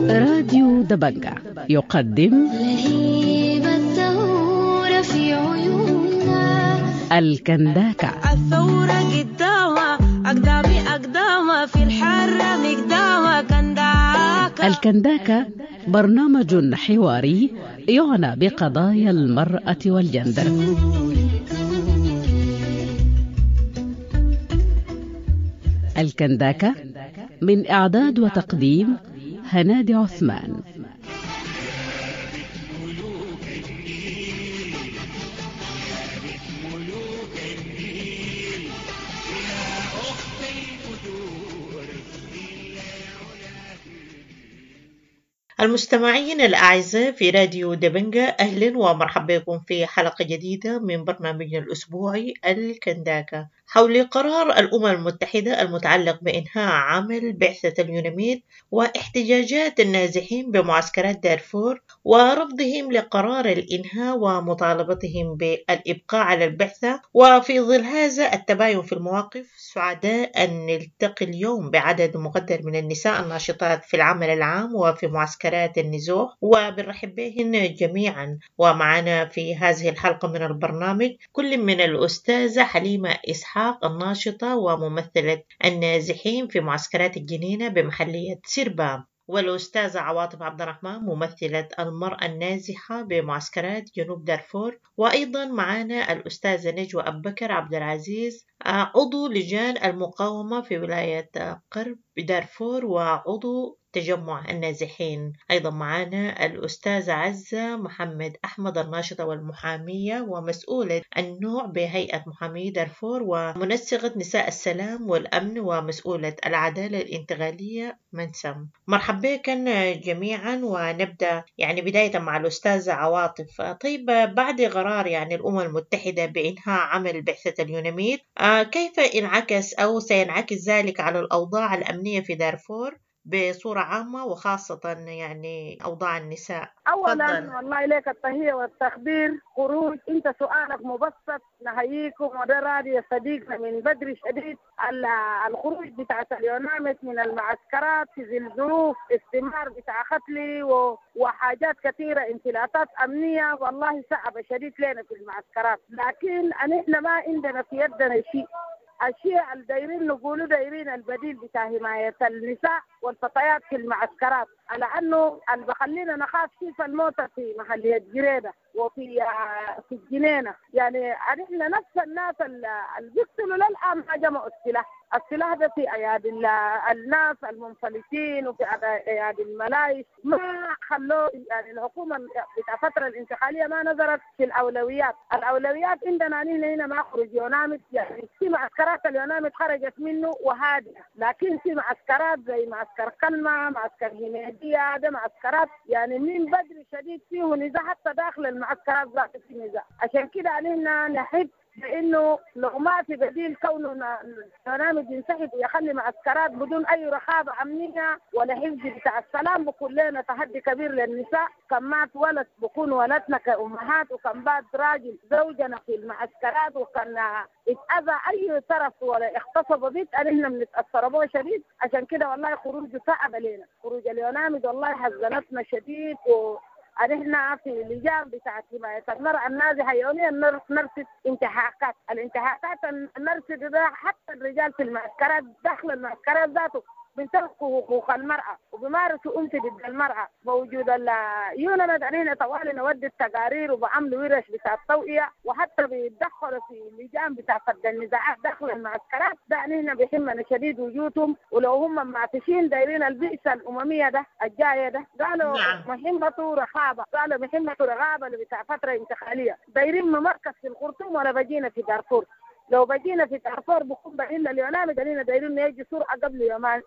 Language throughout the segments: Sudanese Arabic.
راديو دبنجة يقدم لهيب الثورة في عيوننا. الكنداكة. الثورة قدامها أقدامي أقدامها في الحرة مقدامها كنداكة. الكنداكة برنامج حواري يعنى بقضايا المرأة والجندر. الكنداكة من إعداد وتقديم هنادي عثمان. المستمعين الأعزاء في راديو دبنجة، أهلا ومرحبا بكم في حلقة جديدة من برنامجنا الأسبوعي الكنداكة حول قرار الأمم المتحدة المتعلق بإنهاء عمل بعثة اليوناميد واحتجاجات النازحين بمعسكرات دارفور ورفضهم لقرار الإنهاء ومطالبتهم بالإبقاء على البعثة. وفي ظل هذا التباين في المواقف، سعداء أن نلتقي اليوم بعدد مقدر من النساء الناشطات في العمل العام وفي معسكرات النزوح، وبنرحب بهن جميعا. ومعنا في هذه الحلقة من البرنامج كل من الأستاذة حليمة إسحاق الناشطة وممثلة النازحين في معسكرات الجنينة بمحلية سربا، والأستاذة عواطف عبد الرحمن ممثلة المرأة النازحة بمعسكرات جنوب دارفور، وأيضا معنا الأستاذة نجوى أبو بكر عبد العزيز عضو لجان المقاومة في ولاية قرب دارفور وعضو تجمع النازحين. أيضا معنا الأستاذة عزة محمد أحمد الناشطة والمحامية ومسؤولة النوع بهيئة محامي دارفور ومنسقة نساء السلام والأمن ومسؤولة العدالة الانتقالية منسم. مرحبا بكم جميعا، ونبدأ يعني بداية مع الأستاذة عواطف. طيب، بعد قرار يعني الأمم المتحدة بإنهاء عمل بعثة اليوناميد، كيف انعكس أو سينعكس ذلك على الأوضاع الأمنية في دارفور بصورة عامة وخاصة يعني أوضاع النساء؟ أولا تفضل. والله إليك التحية والتقدير. خروج أنت سؤالك مبسط، نحييكم وده راديو صديقنا من بدري شديد. الخروج بتاع اليوناميد من المعسكرات في ذي الظروف، استمرار بتاع قتلي وحاجات كثيرة، انفلاتات أمنية، والله صعبة شديد لنا في المعسكرات. لكن نحن ما عندنا في يدنا شيء. الشيء اللي دايرين نقوله دايرين البديل بتاع حماية النساء والفتيات في المعسكرات، على أنه اللي بخلينا نخاف كيف الموتى في محلية جريدة وفي في الجنينة. يعني نحن نفس الناس اللي بيقتلوا للآن ما جمعوا السلاح، السلاح ده في أيادي الناس المنفلتين وفي أيادي الملايش. ما خلوه يعني الحكومة بتاع الفترة الانتقالية ما نظرت في الأولويات. الأولويات عندنا نحن هنا ما خرج يوناميد، يعني في معسكرات اليوناميد خرجت منه وهادئة، لكن في معسكرات زي معسكر كلمة، معسكر هنيدية، ده معسكرات يعني من بدري شديد فيه نزاع، حتى داخل المعسكرات ذات في نزاع. عشان كده نحن نحب بانه لو ما في بديل كونه اليوناميد ينسحب ويخلي معسكرات بدون اي رقابه امنيه ولا حفظ بتاع السلام، بكون لنا تحدي كبير للنساء. كم مات ولد بكون ولدنا كامهات، وكم بات راجل زوجنا في المعسكرات، وكان اتاذى اي طرف ولا اغتصب بيت احنا بنتاثر به شديد. عشان كده والله خروج صعب علينا، خروج اليوناميد والله حزنتنا شديد. و نحن في اللجان بتاعت حماية المرأة النازحة يوميا نرصد انتهاكات، الانتهاكات نرصد ده حتى الرجال في المعسكرات داخل المعسكرات ذاته بينتهكوا حقوق المرأة وبيمارسوا أنف ضد المرأة. موجود اليوناميد علينا طوال نودي التقارير وبعملوا ورش بتاع التوعية، وحتى بيتدخلوا في اللجان بتاع فض النزاعات داخل المعسكرات. ده نحن بيهمنا شديد وجودهم، ولو هم معتشين دايرين البئسة الأممية ده الجاية ده قالوا نعم. مهمته رقابة، قالوا مهمته رقابة اللي بتاع فترة انتقالية. دايرين مركز في الخرطوم ولا بجينا في دارفور. لو بجينا في دارفور بكون بعين اليوناميد علينا دايرين يجي سرعة قبل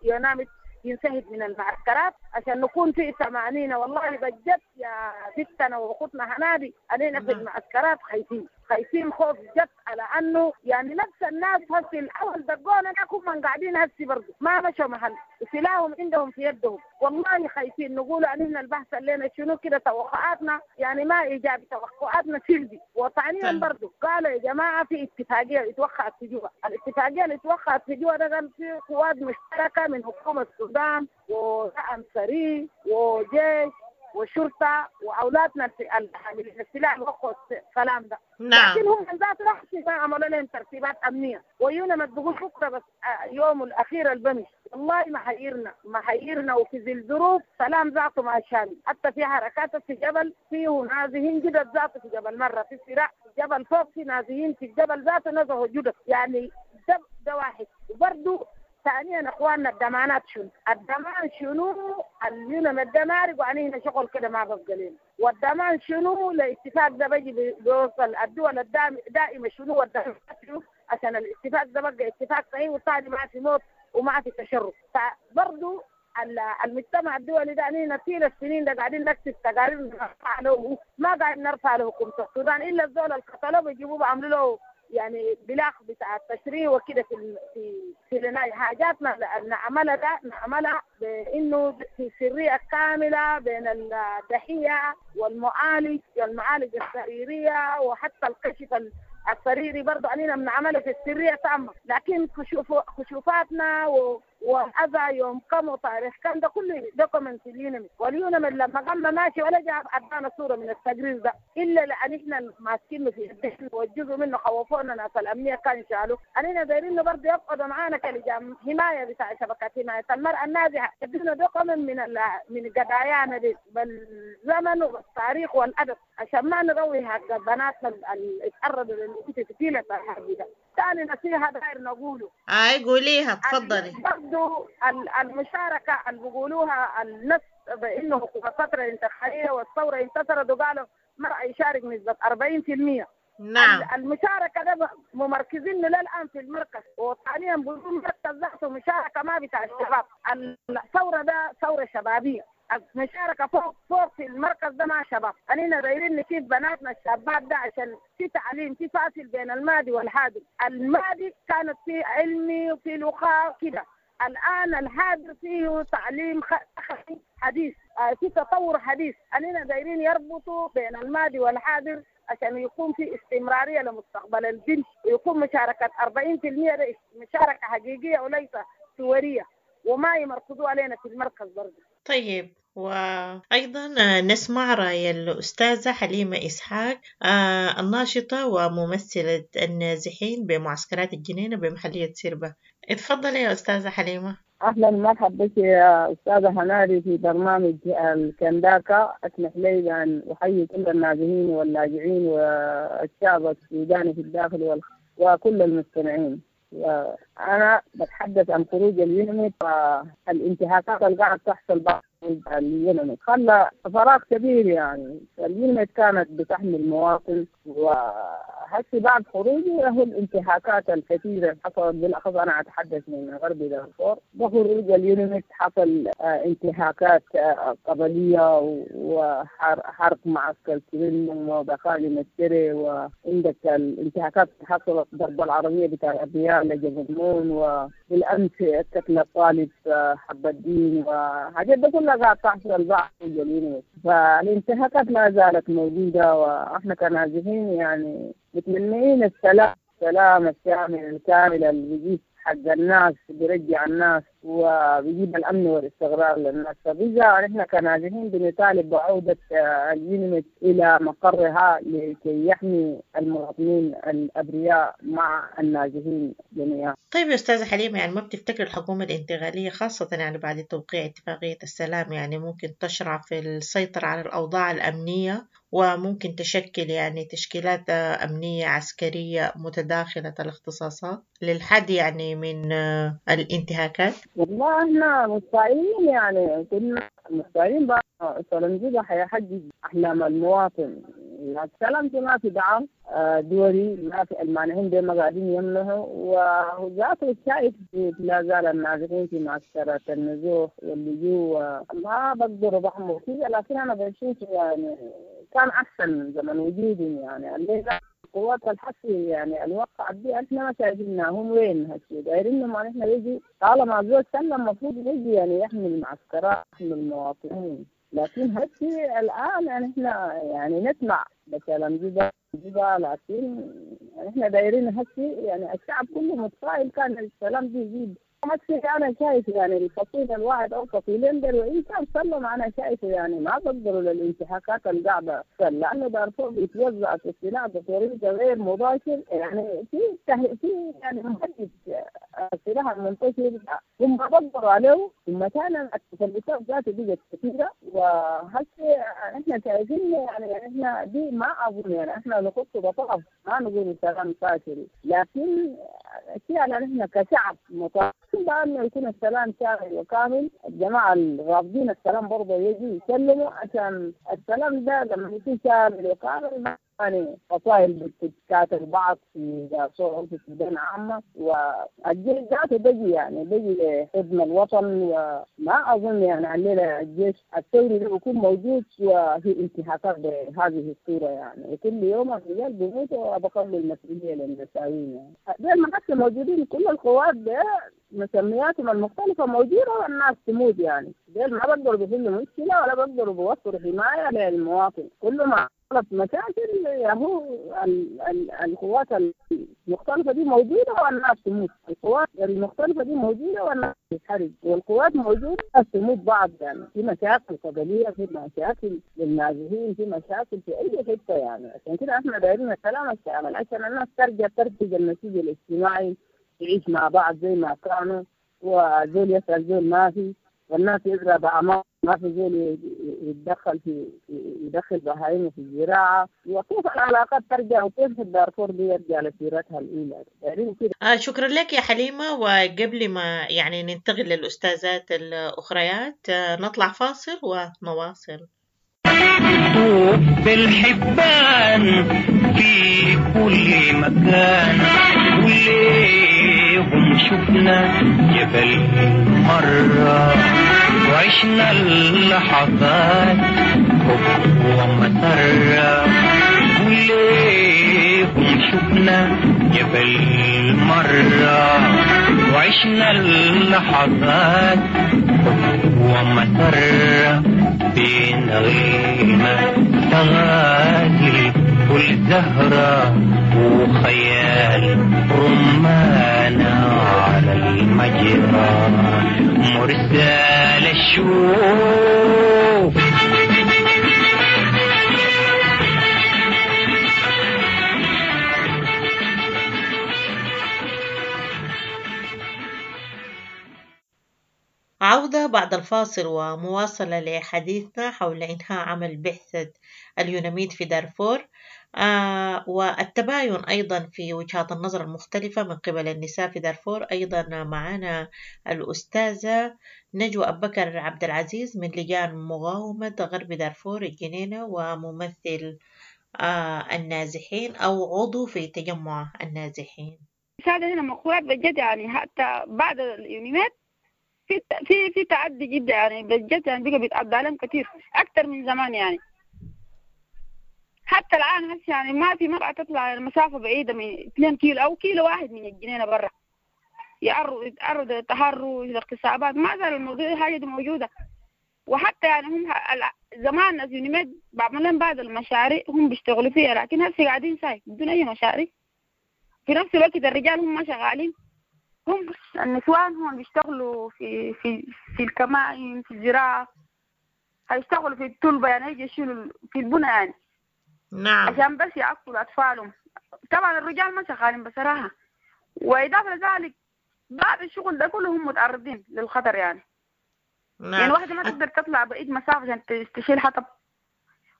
يوناميد ينسحب من المعسكرات عشان نكون في ثمانين. والله بجد يا بنتنا واخوتنا هنادي علينا في المعسكرات خايفين. خايفين خوف جد على انه يعني نفس الناس هسي الاول دقونا هم قاعدين هسي برضه ما مشوا محل، وسلاحهم عندهم في يدهم. والله خايفين نقول ان البحث لنا شنو كده، توقعاتنا يعني ما ايجابي، توقعاتنا سلبي. وثانيا برضه قالوا يا جماعة في اتفاقية اتوقعت في جوا، الاتفاقية اللي اتوقعت في جوا ده كان في قوات مشتركة من حكومة السودان ودعم سريع وجيش وشرطه واولادنا الحاملين السلاح وقعوا السلام ده. نعم. لكن هم ذات لحظة ما عملوا لهم ترتيبات امنية، ويونمت بقول بكره بس يوم الاخير البمش. والله ما حيرنا ما حيرنا، وفي ذي الظروف سلام ذاته ما شامل، حتى في حركات في جبل فيه نازحين جدد ذاته في جبل مرة، في صراع في جبل فوق في نازحين في الجبل ذاته نزحوا جدد، يعني ده واحد. وبرضه ثانيا اخواننا الضمانات شنو؟ الضمان شنو؟ اليونم ده مارق وعلينا شغل كده ما ببقى لنا، والضمان شنو؟ الاتفاق ده بيجي بيوصل الدول الدائمة شنو والضمانات شنو؟ عشان الاتفاق ده بقى اتفاق صحيح وثاني ما في موت وما في تشرد. فبرضه المجتمع الدولي ده علينا طيل السنين ده قاعدين نكتب تقارير نرفع له، ما قاعد نرفع له حكومة السودان الا الزول اللي قتلوه بيجيبوه بعملوا له يعني بلاغ بتاع التشريع وكده في في في حاجاتنا نعملها ده نعملها بانه في سرية كاملة بين الضحية والمعالج والمعالج السريرية وحتى الكشف السريري برضه علينا بنعمله في السرية تامة، لكن كشوفاتنا والاذى يوم كم وتاريخ كم ده كله document اليونمي، واليونمي لما قام ماشي ولا جاب ادانا صوره من التقرير ده الا لان احنا ماسكينه في يدينا، والجزء منه خوفونا ناس الامنية كان شالوه. علينا دايرين برضه يقعدوا معانا كلجان حماية بتاع شبكات حماية المراة النازحه، يدونا document من قضايانا دي بالزمن والتاريخ والادب عشان ما نروي حق بناتنا اللي اتعرضوا للانتهاك الحربي ده. ثاني نصيحة داير نقوله. اي قوليها تفضلي. برضه المشاركة اللي بيقولوها النفس بانه الفترة الانتقالية والثورة انتصرت وقالوا مرأة يشارك نسبه 40%. نعم. المشاركة ده ممركزين للان في المركز، وثانيا بدون مركز ذاته مشاركة ما بتاع الشباب. الثورة ده ثورة شبابية، المشاركة فوق فوق في المركز ده مع شباب. علينا دايرين نشوف بناتنا الشابات ده عشان في تعليم، في فاصل بين الماضي والحاضر. الماضي كانت في علمي وفي لغة كده، الان الحاضر فيه تعليم حديث، في تطور حديث. علينا دايرين يربطوا بين الماضي والحاضر عشان يكون في استمرارية لمستقبل البنت، ويكون مشاركة 40% مشاركة حقيقية وليس صوريه، وما يمركزوا علينا في المركز برضه. طيب، وأيضا نسمع رأي الأستاذة حليمة إسحاق الناشطة وممثلة النازحين بمعسكرات الجنينة بمحلية سيربا. اتفضلي يا أستاذة حليمة. أهلا مرحبا بك يا أستاذة هنادي في برنامج الكنداكا. أسمح لي بأن أحيي كل النازحين واللاجئين والشعب السوداني في الداخل وكل المستمعين. أنا بتحدث عن خروج اليونميت والانتهاكات اللي قاعدة تحصل بعد اليونميت، خلى فراغ كبير. يعني اليونميت كانت بتحمي المواطن، وهسي بعد خروجه هو الانتهاكات الكثيرة اللي حصلت، بالأخص أنا أتحدث من غرب دارفور. بخروج اليونميت حصل انتهاكات قبلية وحرق معسكر كريم وبقايا مستري، وعندك الانتهاكات حصلت ضرب العربية بتاع الأبرياء لجبل مون، وبالأمس قتل الطالب حب الدين، وحاجات ده كلها قاعد تحصل بعد اليونميت. فالانتهاكات ما زالت موجودة، وإحنا كنازحين يعني متمنيين السلام، السلام الشامل الكامل اللي بيجيب حق الناس، بيرجع الناس وبيجيب الأمن والاستقرار للناس. فبإذا نحن كنازحين بنطالب بعودة اليونميت إلى مقرها لكي يحمي المواطنين الأبرياء مع النازحين جميعا. طيب يا أستاذة حليمة، يعني ما بتفتكر الحكومة الانتقالية خاصة يعني بعد توقيع اتفاقية السلام يعني ممكن تشرع في السيطرة على الأوضاع الأمنية، وممكن تشكل يعني تشكيلات أمنية عسكرية متداخلة الاختصاصات للحد يعني من الانتهاكات؟ والله احنا متفائلين، يعني كنا متفائلين بقى سلام حيحقق أحلام المواطن. السلام ما في دعم دولي، ما في المانحين دي ما قاعدين يمنحوا، وذاته شايف لا زال النازحين في معسكرات النزوح واللجوء ما بقدروا بحموا كذا. لكن أنا بشوف يعني كان أحسن من زمن وجودهم، يعني الليلة القوات الحسي يعني الوقعت دي احنا ما شايفينها هم وين هسي، دايرين ما احنا يجي طالما زول سلم المفروض يجي يعني يحمي المعسكرات يحمي المواطنين، لكن هسي الان يعني احنا يعني نسمع بكلام جبا جبا، لكن احنا دايرين هسي يعني الشعب كله متفائل كان السلام دي يزيد. هسي انا شايف يعني الفصيل الواحد او فصيلين دول وان كان سلم انا شايفه يعني ما بقدروا للانتهاكات القاعدة، لانه دارفور بيتوزع في السلاح بطريقة غير مباشر، يعني في يعني مهدد السلاح المنتشر هم ما بقدروا عليه، ثم كان التسلسلات ذاته بقت كثيرة. وهسي احنا شايفين يعني احنا دي ما اظن يعني احنا نخط بطرف ما نقول سلام فاشل، لكن الشيء يعني احنا كشعب مطالبين بأنه يكون السلام شامل وكامل. الجماعة الرافضين السلام برضه يجوا يسلموا عشان السلام ده لما يكون شامل وكامل يعني فصائل بتتكاتل بعض في دارفور في السودان عامة، والجيش ذاته بيجي يعني بيجي لخدمة الوطن، وما أظن يعني الليلة الجيش الثوري ده بيكون موجود وفي انتهاكات بهذه الصورة يعني، وكل يوم الرجال بيموتوا وبخلوا المسؤولية للنساوين يعني. زي ما حتى موجودين كل القوات ده مسمياتهم المختلفة موجودة والناس تموت يعني، ديل ما بقدروا بيحلوا مشكلة ولا بقدروا بيوفروا حماية للمواطن، كل ما حصلت مشاكل ياهو القوات المختلفة دي موجودة والناس تموت، القوات المختلفة دي موجودة والناس تتحرق، والقوات موجودة الناس تموت بعض يعني، في مشاكل قبلية، في مشاكل للنازحين، في مشاكل في أي حتة يعني. عشان كده احنا دايرين السلام الشامل عشان الناس ترجع ترتج النسيج الاجتماعي، تعيش مع بعض زي ما كانوا، وزول يسأل زول ما في، والناس يزرع بأمان ما في زول يتدخل في يدخل بهايمه في الزراعة، وكيف العلاقات ترجع وكيف الدارفور دي يرجع لسيرتها الأولى يعني كده. شكرا لك يا حليمة. وقبل ما يعني ننتقل للأستاذات الأخريات نطلع فاصل ونواصل. طوب الحبان في كل مكان وليهم شفنا جبل مرة وعشنا اللحظات حب ومسرة وليهم شفنا جبل مرة وعشنا اللحظات حب ومسرة بين غيمة تغازل كل زهرة وخيال رمانة على المجرى مرسال الشوق. عودة بعد الفاصل ومواصلة لحديثنا حول إنهاء عمل بعثة اليوناميد في دارفور، والتباين أيضا في وجهات النظر المختلفة من قبل النساء في دارفور. أيضا معنا الأستاذة نجوى أبو بكر عبد العزيز من لجان مقاومة غرب دارفور الجنينة، وممثل النازحين أو عضو في تجمع النازحين. هذا هنا مقولات بجد يعني حتى بعد اليوناميد في تعدي جدا يعني بجد يعني بقى بيتعدى عليهم كثير اكثر من زمان يعني. حتى الان هسه يعني ما في مرأة تطلع المسافة بعيدة من 2 كيلو او كيلو واحد من الجنينة برا، يتعرض للتحرش الاغتصابات، ما زال الموضوع الحاجة دي موجودة. وحتى يعني هم زمان ناس يوناميد بعمل لهم بعض المشاريع هم بيشتغلوا فيها، لكن هسه قاعدين ساي بدون اي مشاريع. في نفس الوقت الرجال هم ما شغالين، هم النسوان هم بيشتغلوا في في في الكمائن، في الزراعة، هيشتغلوا في التلبة يعني، هيجي يشيلوا في البنى يعني. نعم. عشان بس يعقلوا أطفالهم. طبعا الرجال ما شغالين بصراحة، وإضافة لذلك بعد الشغل ده كله هم متعرضين للخطر يعني. نعم. يعني واحدة ما تقدر تطلع بعيد مسافة عشان تشيل حطب،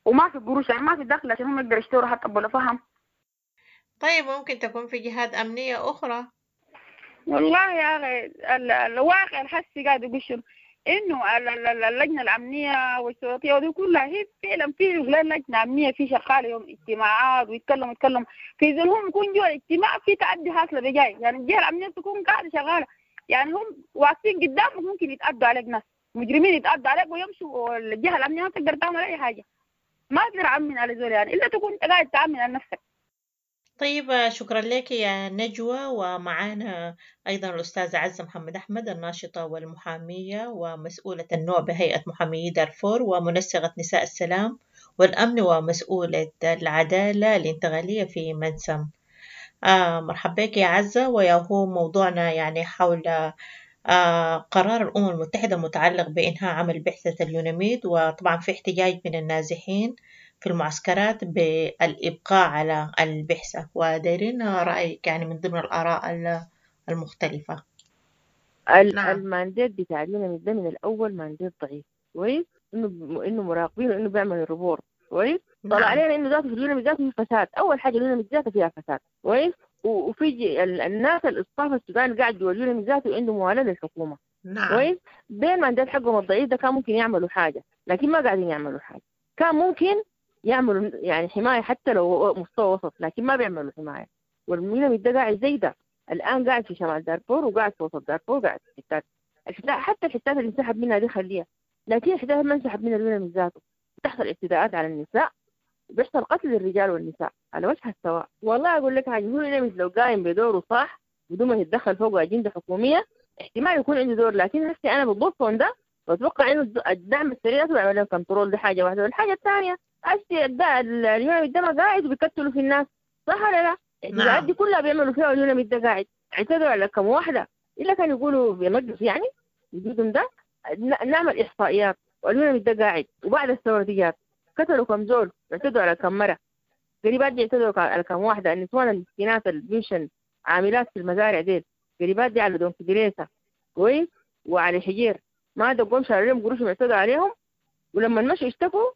وما في قروش يعني ما في دخل عشان هم يقدروا يشتروا حطب ولا فهم. طيب ممكن تكون في جهات أمنية أخرى. والله يا أخي الواقع الحسي قاعد يقول إنه اللجنة الأمنية والشرطية ودي كلها هي فعلا في لجنة أمنية في شغالة يوم اجتماعات ويتكلم في ذلهم يكون جوا الاجتماع في تعدي حاصلة بجاي يعني الجهة الأمنية تكون قاعدة شغالة يعني هم واقفين قدامك ممكن يتعدوا عليك ناس مجرمين يتعدوا عليك ويمشوا، والجهة الأمنية ما تقدر تعمل أي حاجة، ما تقدر تأمن على زول يعني إلا تكون قاعد تأمن على نفسك. طيب، شكرا لك يا نجوى. ومعانا أيضا الأستاذة عزة محمد أحمد، الناشطة والمحامية ومسؤولة النوع بهيئة محامي دارفور ومنسقة نساء السلام والأمن ومسؤولة العدالة الانتقالية في منسم. مرحبا بك يا عزة. ويا هو موضوعنا يعني حول قرار الأمم المتحدة المتعلق بإنهاء عمل بعثة اليوناميد، وطبعا في احتجاج من النازحين في المعسكرات بالإبقاء على البعثة، ودايرين رأيك يعني من ضمن الآراء المختلفة. ال mandate بتاع اليوناميد ده من الأول mandate ضعيف، كويس؟ إنه مراقبين وإنه بيعمل report، كويس؟ طلع علينا إنه ذاته في اليوناميد ذاته في فساد. أول حاجة اليوناميد ذاته فيها فساد، كويس؟ وفي الناس ال staff السوداني قاعد جوا اليوناميد ذاته عنده موالاة للحكومة، كويس؟ بين mandate حقهم الضعيف ده كان ممكن يعملوا حاجة، لكن ما قاعدين يعملوا حاجة. كان ممكن يعملوا يعني حماية حتى لو مستوى وسط، لكن ما بيعملوا حماية. واليوناميد ده قاعد زي ده الآن، قاعد في شمال دارفور وقاعد في وسط دارفور وقاعد في حتات، حتى الحتات اللي انسحب منها دي خليها، لكن الحتات ما انسحب منها اليوناميد ذاته. بتحصل اعتداءات على النساء، بيحصل قتل للرجال والنساء على وجه السواء. والله أقول لك حاجة، هو اليوناميد لو قايم بدوره صح بدون ما يتدخل فوق أجندة حكومية احتمال يكون عنده دور، لكن هسه أنا بالضبط ده بتوقع إنه الدعم السريع ذاته بيعمل لهم control. دي حاجة واحدة. والحاجة الثانية هسه اليوناميد ده ما قاعد وبيقتلوا في الناس، صح ولا لا؟ الاعتداءات دي كلها بيعملوا فيها اليوناميد ده قاعد. اعتدوا على كم واحدة إلا كانوا يقولوا بمجلس يعني وجودهم ده نعمل إحصائيات، واليوناميد ده قاعد. وبعد الثورة دي جات قتلوا كم زول، اعتدوا على كم مرة، قريبات دي اعتدوا على كم واحدة، النسوان المسكينات اللي بيمشن عاملات في المزارع ديل، قريبات دي على دون كدريسة، كويس، وعلى حجير ما دقوهم شالوا لهم قروشهم اعتدوا عليهم. ولما مشوا اشتكوا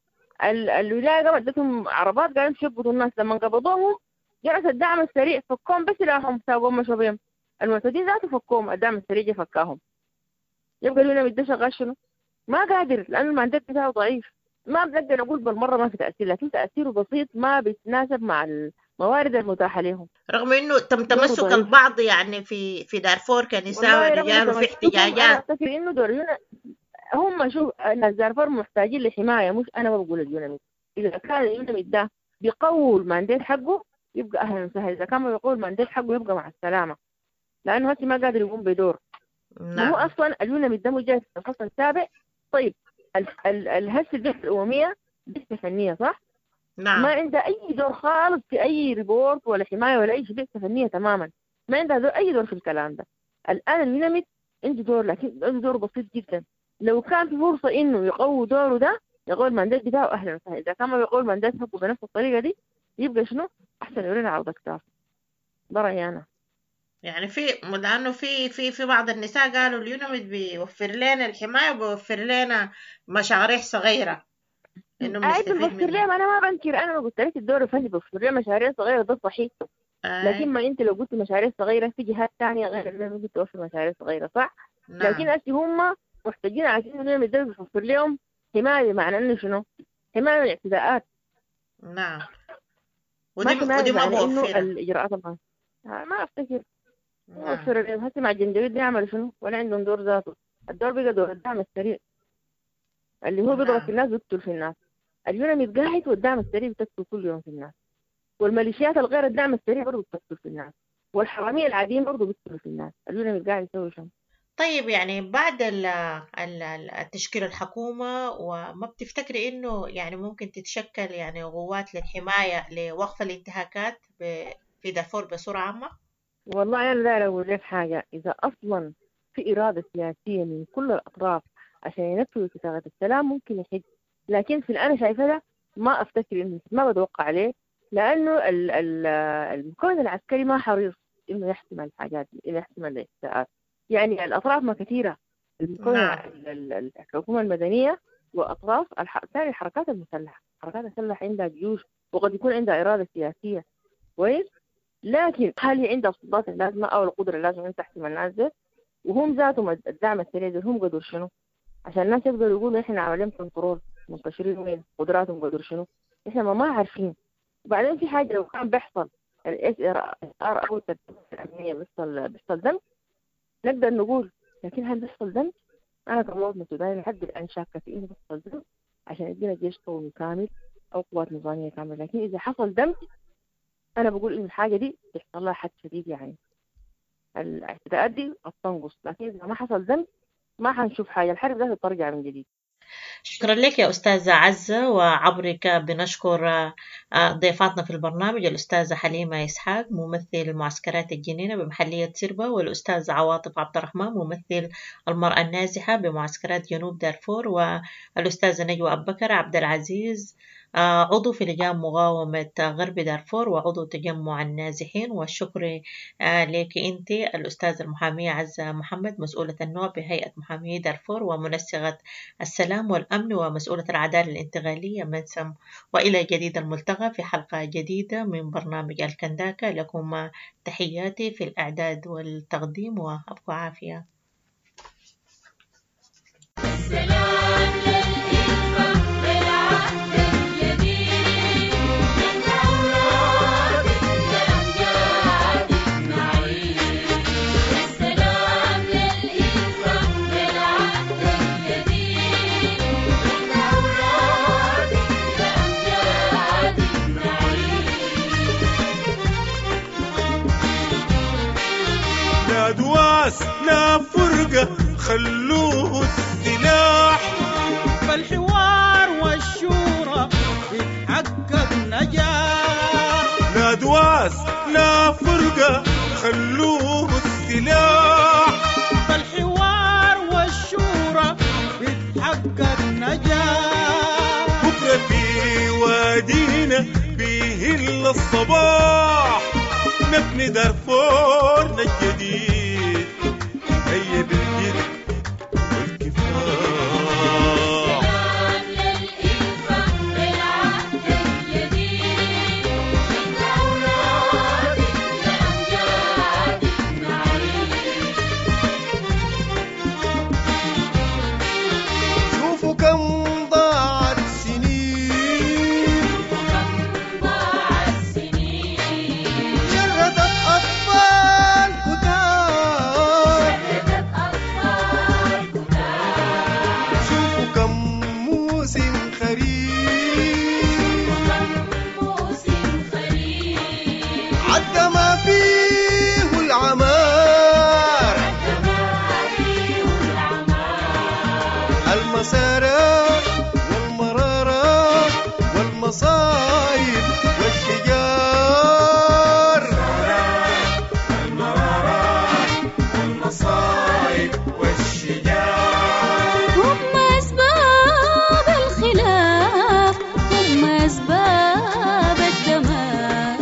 الولاية قامت ادتهم عربات قالوا امشوا يقبضوا الناس. لما قبضوهم جلس الدعم السريع فكوهم بس لاهم ساقوهم مشوا بيهم، المعتدين ذاته فكوهم، الدعم السريع فكاهم. يبقى اليوناميد ده شغال شنو؟ ما قادر، لأنه ال mandate بتاعه ضعيف. ما بنقدر نقول بالمرة ما في تأثير، لكن تأثيره بسيط ما بيتناسب مع الموارد المتاحة لهم. رغم إنه تم تمسك البعض يعني في دارفور كنساء ورجال وفي احتجاجات. أنا أفتكر إنه دور هم شوف الناس دارفور محتاجين لحماية، مش أنا ما بقول اليوناميد. إذا كان اليوناميد ده بيقوي ال mandate حقه يبقى أهلا وسهلا، إذا كان ما بيقوي ال mandate حقه يبقى مع السلامة، لأنه هسه ما قادر يقوم بدور. نعم. هو أصلا اليوناميد ده مجرد في الفصل السابع. طيب الهسه البعثة الأممية بعثة فنية، صح؟ نعم. ما عندها أي دور خالص في أي report ولا حماية ولا أي شيء، بعثة فنية تماما، ما عندها دور أي دور في الكلام ده. الآن اليوناميد عنده دور، لكن عنده دور بسيط جدا. لو كان في فرصة إنه يقوي دوره ده، يقوي ال mandate بتاعه أهلا وسهلا. إذا كان ما بيقوي ال mandate حقه بنفس الطريقة دي يبقى شنو؟ أحسن يورينا عرض أكتافه. ده رأيي أنا. يعني في لأنه في في في بعض النساء قالوا اليوناميد بيوفر لنا الحماية وبيوفر لنا مشاريع صغيرة، إنه بنستفيد بيوفر لهم. أنا ما بنكر، أنا ما قلت لك الدور الفني بيوفر لهم مشاريع صغيرة، ده صحيح. لكن ما أنت لو قلت مشاريع صغيرة في جهات ثانية غير اليوناميد ممكن توفر مشاريع صغيرة، صح؟ نعم. لكن أسي هم محتاجين عشان اليوناميد ده بيوفر لهم حماية، معنى إنه شنو؟ حماية من الاعتداءات. نعم. ودي ما موفرة الإجراءات القانونية. ما أفتكر. نعم. هسه مع الجنجويد بيعملوا شنو؟ ولا عندهم دور ذاته. الدور بقى دور الدعم السريع اللي هو بيضرب في الناس ويقتل في الناس. اليوناميد قاعد والدعم السريع بتقتل كل يوم في الناس، والميليشيات الغير الدعم السريع برضه بتقتل في الناس، والحرامية العاديين برضه بيقتلوا في الناس. اليوناميد قاعد يسوي شنو؟ طيب يعني بعد التشكيل الحكومة، وما بتفتكري إنه يعني ممكن تتشكل يعني قوات للحماية لوقف الانتهاكات في دارفور بصورة عامة؟ والله أنا لا أقول لك حاجة، إذا أصلا في إرادة سياسية من كل الأطراف عشان ينفذوا اتفاقية السلام ممكن يحد، لكن في الآن شايفة ده ما أفتكر إنه ما بتوقع عليه، لأنه المكون العسكري ما حريص إنه يحسم الحاجات، إنه يحسم الإساءات. يعني الأطراف ما كثيرة، المكون الحكومة المدنية وأطراف ثاني الحركات المسلحة. الحركات المسلحة عندها جيوش وقد يكون عندها إرادة سياسية، كويس، لكن هل هي عندها السلطات اللازمة أو القدرة اللازمة أن تحسم الناس دي؟ وهم ذاتهم الدعم السريع ده هم قدروا شنو؟ عشان الناس يقدروا يقولوا إحنا عاملين control، منتشرين وين، قدراتهم قدروا شنو؟ إحنا ما عارفين. وبعدين في حاجة لو كان بيحصل ال SR أو الترتيبات الأمنية بيحصل دمج نقدر نقول، لكن هل بيحصل دمج؟ أنا كمواطنة سودانية لحد الآن شاكة في إنه بيحصل دمج عشان يدينا جيش قومي كامل أو قوات نظامية كاملة. لكن إذا حصل دمج أنا بقول إنه الحاجة دي بيحصل لها حد شديد، يعني الاعتداءات دي قد تنقص، لكن إذا ما حصل ذنب ما حنشوف حاجة، الحرب ذاتها ترجع من جديد. شكرا لك يا أستاذة عزة، وعبرك بنشكر ضيفاتنا في البرنامج الأستاذة حليمة إسحاق ممثل معسكرات الجنينة بمحلية سربة، والأستاذة عواطف عبد الرحمن ممثل المرأة النازحة بمعسكرات جنوب دارفور، والأستاذة نجوى أبو بكر عبد العزيز عضو في لجان مقاومة غرب دارفور وعضو تجمع النازحين. والشكر لك أنت الأستاذة المحامية عزة محمد مسؤولة النوع بهيئة محامي دارفور ومنسقة السلام والأمن ومسؤولة العدالة الانتقالية منسم. وإلى جديد الملتقى في حلقة جديدة من برنامج الكنداكة. لكم تحياتي في الإعداد والتقديم، وأبقوا عافية. السلام للإلفة بالعهد الجديد، من أولاد الأمجاد نعيد. السلام للإلفة بالعهد الجديد، من أولاد الأمجاد نعيد. لا دواس لا فرقة، خلوه السلاح، فالحوار والشورى بيتحقق نجاح. لا دواس لا فرقة، خلوه السلاح، فالحوار والشورى بيتحقق نجاح. بكرة في وادينا بيهل الصباح، نبني دارفورنا الجديد، هيا بالجد والكفاح. السلام للإلفة بالعهد الجديد، من أولاد الأمجاد نعيد. شوفوا كم ضاعت سنين، كم ضاع السنين، شردت أطفال كتار، شردت أطفال كتار. شوفوا كم موسم خريف، كم موسم خريف، عدى ما فيه العمار، الدماري والعمار. المسارات والمرارات والمصايب والشجار، المرارات والمصايب والشجار. هم أسباب الخلاف، هم أسباب الدمار.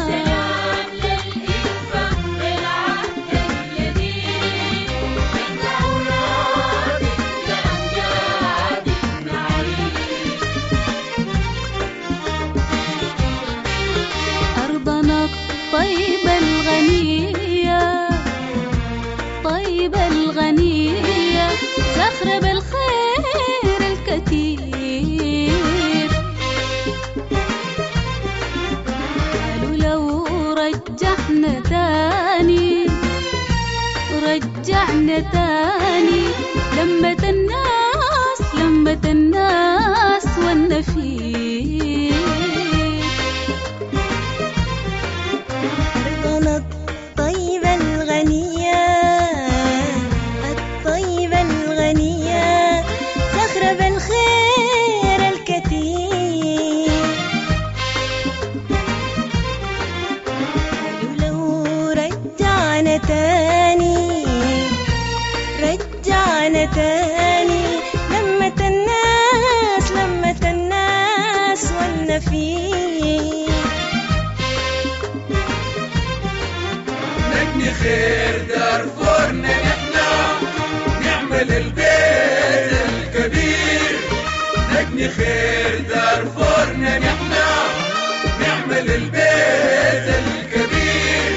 السلام للإلفة بالعهد الجديد، من أولاد الأمجاد نعيد. أرضنا الطيبة الغنية، طيبة الغنية، زخرة بالخير الكثير. قالوا لو رجعنا تاني، رجعنا تاني، لمة الناس، لمة الناس والنفير. أرضنا الطيبة الغنية، الطيبة الغنية، زخرة بالخير الكثير. قالوا لو رجعنا تاني، رجعنا تاني، لمة الناس، لمة الناس والنفير. نبني خير دارفورنا نحنا، نعمل البيت الكبير. نبني خير دارفورنا نحنا، نعمل البيت الكبير،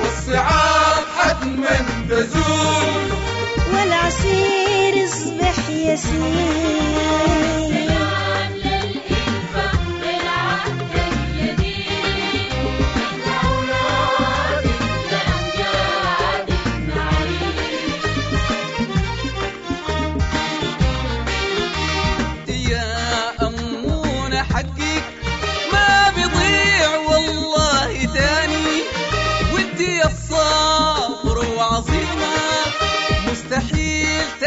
والصعاب حتما تزول، والعسير يصبح يسير. السلام للإلفة بالعهد الجديد، من أولاد الأمجاد نعيد. يا أمونة حقك ما بيضيع والله.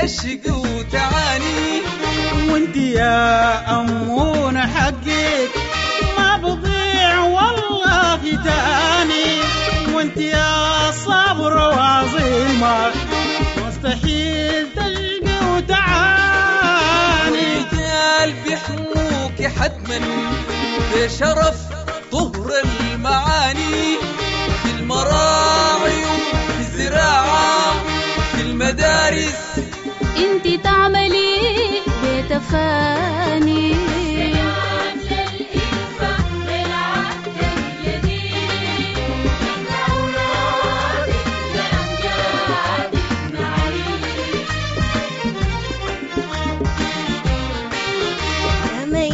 تشقي وتعاني. وانت يا أمون حقك ما بضيع والله تاني، وانت يا صبر وعظيمة مستحيل تشقي وتعاني. رجال بيحموك حتما بشرف طهر المعاني، في المراعي وفي الزراعة في المدارس انت تعملي بتفاني. سلام للإلفة بالعهد الجديد، نحن أولادك لأمجادك نعيش. ما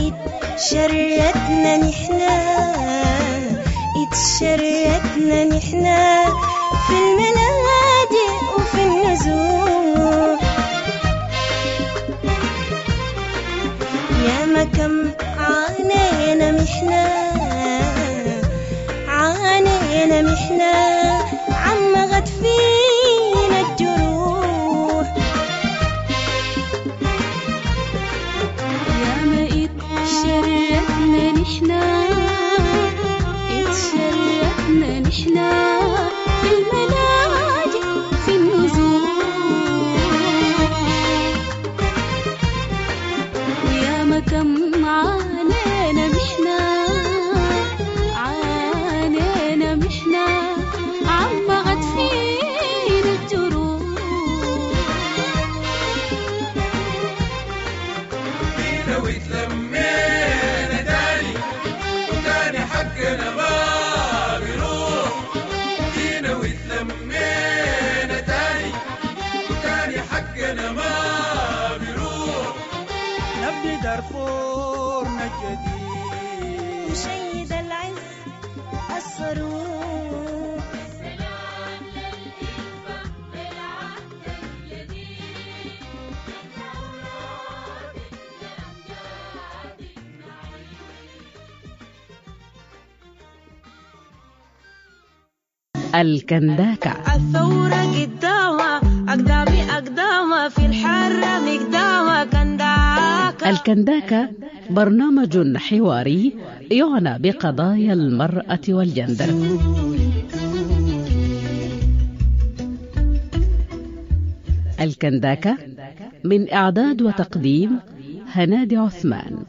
اتشردنا نحنا، اتشردنا نحنا في الملاجئ وفي النزوح. يا ما كم عانينا محنة، عانينا محنة عمغت فينا الجروح. يا ما اتشردنا نحنا، اتشردنا نحنا في الملاجئ في النزوح. ويا ما كم عانينا محنة، عانينا محنة عمغت فينا الجروح. جينا واتلمينا تاني وتاني حقنا ما بيروح. جينا واتلمينا تاني وتاني حقنا ما بيروح. نبني دارفورنا الجديد نشيد العز الصاروخ. سلام للإلفة بالعهد الجديد، نحن أولادك لأمجادك نعيش. الكنداكة. الثورة قدامها أقدامي أقدامها في الحرة مقدامها كنداكة. الكنداكة برنامج حواري يعنى بقضايا المرأة والجندر. الكنداكة من إعداد وتقديم هنادي عثمان.